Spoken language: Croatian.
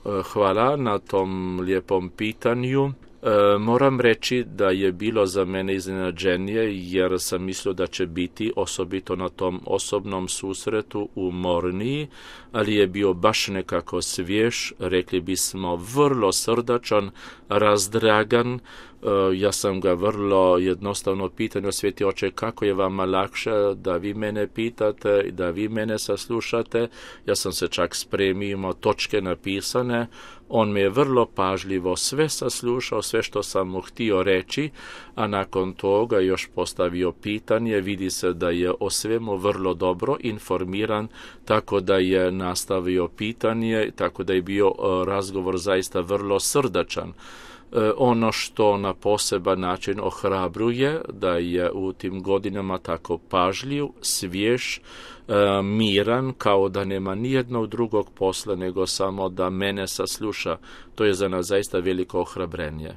Hvala na tom lijepom pitanju. Moram reći da je bilo za mene iznenađenje jer sam mislio da će biti osobito na tom osobnom susretu umorniji, ali je bio baš nekako svjež, rekli bismo vrlo srdačan, razdragan. Ja sam ga vrlo jednostavno pitao, Sveti Oče, kako je vama lakše da vi mene pitate, da vi mene saslušate. Ja sam se čak spremio, imao točke napisane. On me je vrlo pažljivo sve saslušao, sve što sam mu htio reći, a nakon toga još postavio pitanje. Vidi se da je o svemu vrlo dobro informiran, tako da je nastavio pitanje, tako da je bio razgovor zaista vrlo srdačan. Ono što na poseban način ohrabruje da je u tim godinama tako pažljiv, svjež, miran, kao da nema nijednog drugog posla nego samo da mene sasluša. To je za nas zaista veliko ohrabrenje.